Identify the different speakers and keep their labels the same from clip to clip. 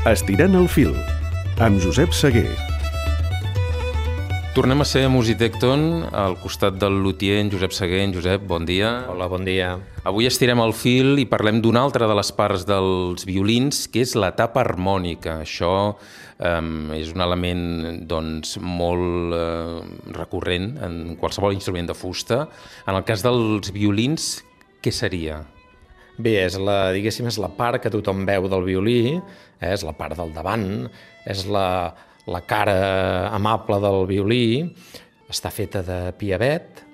Speaker 1: Estirant el fil, amb Josep Seguer.
Speaker 2: Tornem a ser a Musitecton, al costat del luthier en Josep Seguer. En Josep, bon dia.
Speaker 3: Hola, bon dia.
Speaker 2: Avui estirem el fil i parlem d'una altra de les parts dels violins, que és la tapa harmònica. Això és un element molt recurrent en qualsevol instrument de fusta. En el cas dels violins, què seria?
Speaker 3: Bé, és la part que tothom veu del violí, és la part del davant, és la cara amable del violí, està feta de piavet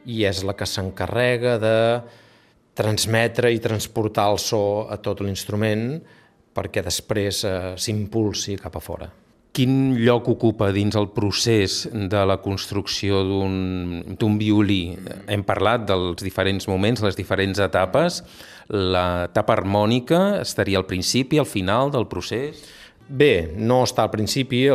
Speaker 3: i és la que s'encarrega de transmetre i transportar el so a tot l'instrument perquè després s'impulsi cap a fora.
Speaker 2: Quin lloc ocupa dins el procés de la construcció d'un violí? Hem parlat dels diferents moments, les diferents etapes. La tapa harmònica estaria al principi, al final del procés?
Speaker 3: Bé, no està al principi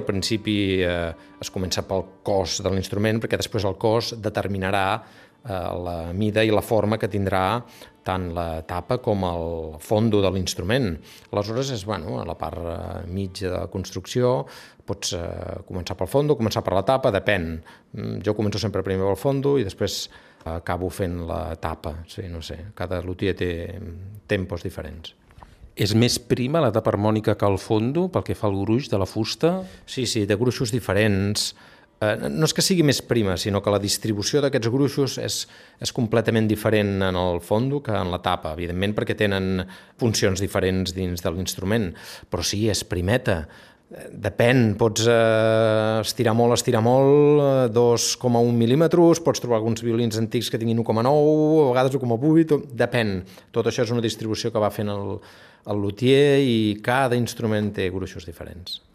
Speaker 3: es comença pel cos de l'instrument, perquè després el cos determinarà la mida i la forma que tindrà tant la tapa com el fondo de l'instrument. Aleshores, a la part mitja de la construcció, pots començar pel fondo, començar per la tapa, depèn. Jo començo sempre primer pel fondo i després acabo fent la tapa. Sí, no sé, cada luthier té tempos diferents.
Speaker 2: És més prima la tapa harmònica que el fondo pel que fa al gruix de la fusta?
Speaker 3: Sí, té gruixos diferents. No és que sigui més prima, sinó que la distribució d'aquests gruixos és completament diferent en el fondo que en la tapa, evidentment perquè tenen funcions diferents dins de l'instrument, però sí, és primeta. Depèn, pots estirar molt, 2,1 mil·límetres, pots trobar alguns violins antics que tinguin 1,9, a vegades 1,8, depèn. Tot això és una distribució que va fent el luthier i cada instrument té gruixos diferents.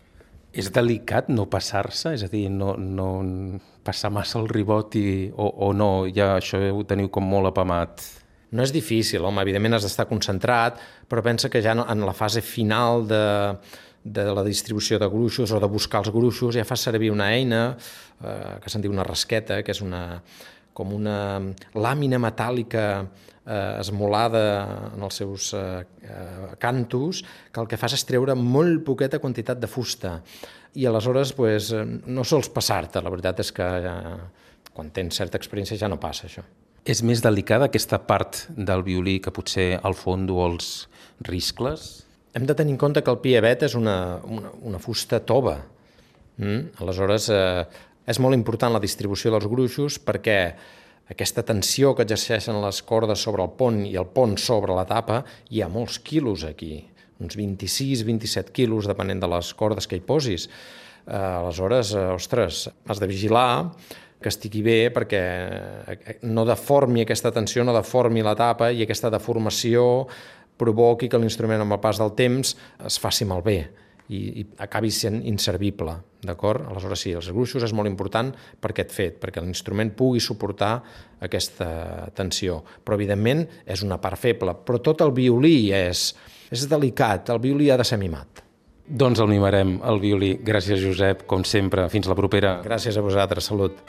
Speaker 2: És delicat no passar-se? És a dir, no passar massa el ribot o no? Ja això ho teniu com molt apamat?
Speaker 3: No és difícil, home, evidentment has d'estar concentrat, però pensa que ja en la fase final de la distribució de gruixos o de buscar els gruixos ja fas servir una eina que se'n diu una rasqueta, que és com una làmina metàl·lica esmolada en els seus cantos, que el que fas és treure molt poqueta quantitat de fusta i aleshores no sols passar-te. La veritat és que quan tens certa experiència ja no passa això.
Speaker 2: És més delicada aquesta part del violí que potser el fondo o els riscles?
Speaker 3: Hem de tenir en compte que el piavet és una fusta tova. Aleshores és molt important la distribució dels gruixos perquè aquesta tensió que exerceixen les cordes sobre el pont i el pont sobre la tapa, hi ha molts quilos aquí, uns 26-27 quilos, depenent de les cordes que hi posis. Aleshores, has de vigilar que estigui bé perquè no deformi aquesta tensió, no deformi la tapa i aquesta deformació provoqui que l'instrument amb el pas del temps es faci malbé i acabi sent inservible, d'acord? Aleshores sí, els gruixos és molt important per aquest fet, perquè l'instrument pugui suportar aquesta tensió. Però evidentment és una part feble, però tot el violí és delicat, el violí ha de ser mimat.
Speaker 2: Doncs el mimarem, el violí. Gràcies, Josep, com sempre. Fins la propera.
Speaker 3: Gràcies a vosaltres, salut.